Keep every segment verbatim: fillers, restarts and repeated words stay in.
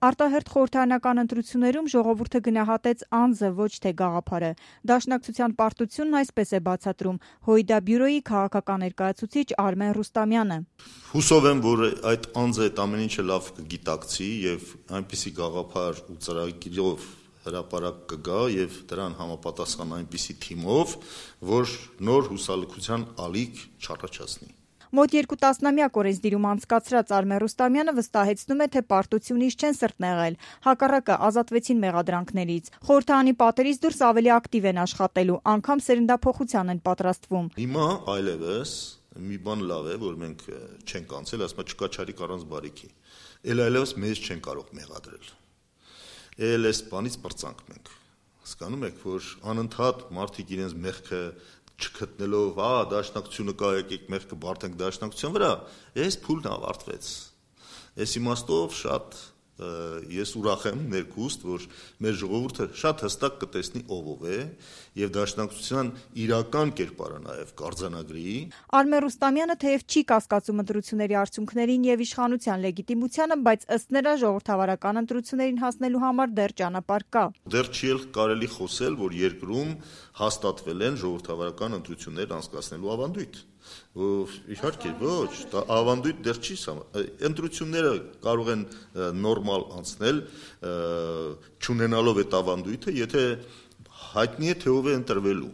Արտահերթ խորհրդարանական ընտրություններում ժողովուրդը գնահատեց անձը, ոչ թե գաղափարը։ Դաշնակցության պարտությունն այսպես է բացատրում Հույդա բյուրոյի քաղաքական ներկայացուցիչ Արմեն Ռուստամյանը։ Հուսով եմ, որ այդ անձը այդ ամեն ինչը լավ կգիտակցի եւ այնպիսի գաղափար ու ծրագիրով հրապարակ կգա եւ դրան համապատասխան այնպիսի թիմով, որ նոր հուսալքության ալիք չառաջացնի։ Մոտ երկու տասնամյակ օրենսդիրում անցկացրած Արմեն Ռուստամյանը վստահեցնում է, թե պարտությունից չեն սրտնեղել, հակառակը ազատվեցին մեղադրանքներից։ Խորհրդարանի պատերից դուրս ավելի ակտիվ են աշխատելու, անգամ սերնդափոխության են պատրաստվում։ Հիմա այլևս մի բան լավ է, որ մենք չենք անցել, ասում չկա չարիք առանց բարիքի։ Էլ այլևս մեզ չեն կարող մեղադրել։ Էլ այս բանից պրծանք մենք։ Հասկանում եք, որ անընդհատ մարդիկ իրենց մեղքը չգտնելով, հա, դաշնակցությունը կա, եկեք մեղքը բարդենք դաշնակցության վրա, այս փուլն ավարտվեց։ Այս իմաստով շատ ես ուրախ եմ ներքուստ, որ մեր ժողովուրդը շատ հստակ կտեսնի ով է եւ դաշնակցության իրական կերպարը նաեւ կարձանագրի։ Արմեն Ռուստամյանը թեև չի կասկածում ընտրությունների արդյունքներին եւ իշխանության լեգիտիմությանը, բայց ըստ նրա ժողովրդավարական ընտրություններին հասնելու համար դեռ ճանապարհ կա։ Դեռ չի կարելի խոսել, որ երկրում հաստատվել են ժողովրդավարական ընտրություններ անցկացնելու ավանդույթ։ Իհարկե ոչ, դա ավանդույթ դեռ չի սահման։ Ընտրությունները կարող են նորմալ անցնել, չունենալով այդ ավանդույթը, եթե հայտնի է թե ով է ընտրվելու։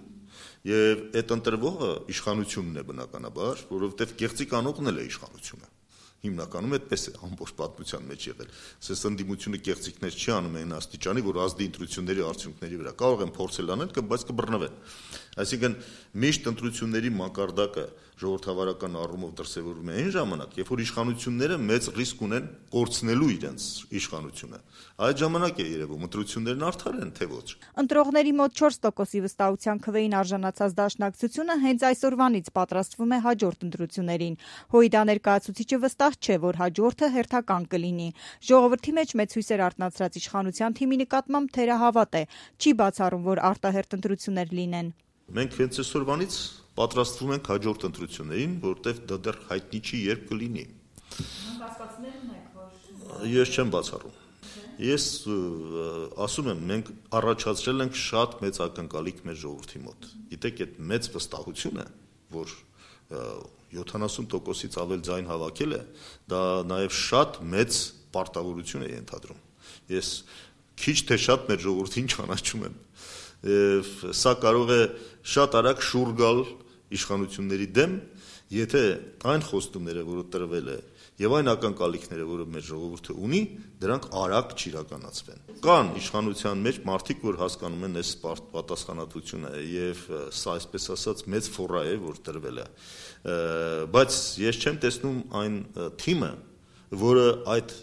Եվ այդ ընտրվողը իշխանությունն է բնականաբար, որովհետև կեղծիք անողն էլ է իշխանությունը։ Հիմնականում այդպես է ամբողջ պատմության մեջ եղել։ Սես ընդդիմությունը կեղծիքներ չի անում այն աստիճանի, որ ազդի ընտրությունների արդյունքների վրա։ Կարող են փորձել անել, բայց կբռնվեն։ Այսինքն միշտ ընտրությունների մակարդակը ժողովրդավարական առումով դրսևորվում է այն ժամանակ, երբ որ իշխանությունները մեծ ռիսկ ունեն կորցնելու իրենց իշխանությունը։ Այդ ժամանակ է երևում ընտրություններն արդար են, թե ոչ։ Ընտրողների մոտ չորս տոկոսի վստահության քվեին արժանացած դաշնակցությունը հենց այսօրվանից պատրաստվում է հաջորդ ընտրություններին։ Հույդա ներկայացուցիչը վստահ չէ, որ հաջորդը հերթական կլինի։ Ժողովրդի մեջ մեծ հույսեր արտնացրած իշխանության թիմի նկատմամբ թերահավատ է, չի բացառում, որ արտահերթ ընտրություններ լինեն։ Մենք հենց այսօրվանից պատրաստվում ենք հաջորդ ընտրություններին, որտեղ դա դեռ հայտնի չի երբ կլինի։ Կասկածներ ունեք, որ Ես չեմ բացառում։ Ես ասում եմ, մենք առաջացրել ենք շատ մեծ ակնկալիք մեր ժողովրդի մոտ։ Գիտեք, այդ մեծ վստահությունը, որ յոթանասուն տոկոսից ավել ձայն հավաքել է, դա նաև շատ մեծ պարտավորություն է ենթադրում։ Ես քիչ թե շատ մեր ժողովրդին ճանաչում եմ։ Սա կարող է շատ արագ շուռ գալ իշխանությունների դեմ, եթե այն խոստումները, որը տրվել է, եւ այն ակնկալիքները, որը մեր ժողովուրդը ունի, դրանք արագ չիրականացվեն։ Կան իշխանության մեջ մարդիկ, որ հասկանում են այս պատասխանատվությունը եւ սա այսպես ասած մեծ ֆորա է, որ տրվել է։ Բայց ես չեմ տեսնում այն թիմը, որը այդ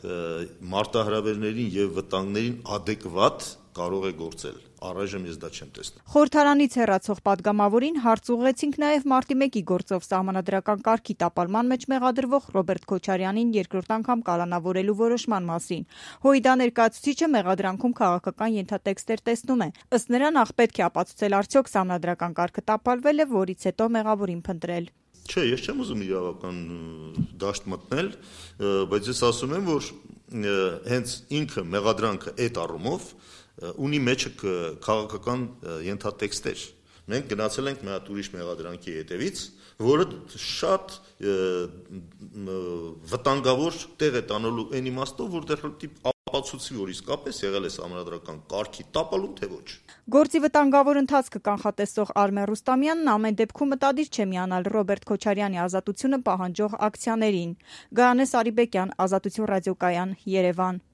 մարտահրավերներին եւ վտանգներին adekvat կարող է գործել։ Առայժմ ես դա չեմ տեսնում։ Խորհրդարանից հեռացող падգամավորին հարց ուղղեցինք նաև մարտի մեկի գործով սահմանադրական կարգի տապալման մեջ մեղադրվող Ռոբերտ Քոչարյանին երկրորդ անգամ կալանավորելու որոշման մասին։ Հույդա ներկայացուցիչը մեղադրանքում քաղաքական ենթատեքստեր տեսնում է։ Ըստ նրա նախ պետք է ապացուցել արդյոք սահմանադրական կարգը տապալվել է, որից հետո մեղավորին փնտրել։ Չէ, ես չեմ ուզում իրավական դաշտ մտնել, բայց ես ասում եմ, որ հենց ինքը մեղադրանքը այդ առումով ունի մեջը քաղաքական ենթատեքստեր։ Մենք գնացել ենք մի հատ ուրիշ մեղադրանքի հետևից, որը շատ վտանգավոր տեղ է տանելու այն իմաստով, որտեղ ապացուցի, որ իսկապես եղել է սահմանադրական կարգի տապալում, թե ոչ։ Գործի վտանգավոր ընթացքը կանխատեսող Արմեն Ռուստամյանն ամեն դեպքում մտադիր չէ միանալ Ռոբերտ Քոչարյանի ազատությունը պահանջող ակցիաներին։ Գայանե Սարիբեկյան, Ազատություն ռադիոկայան, Երևան։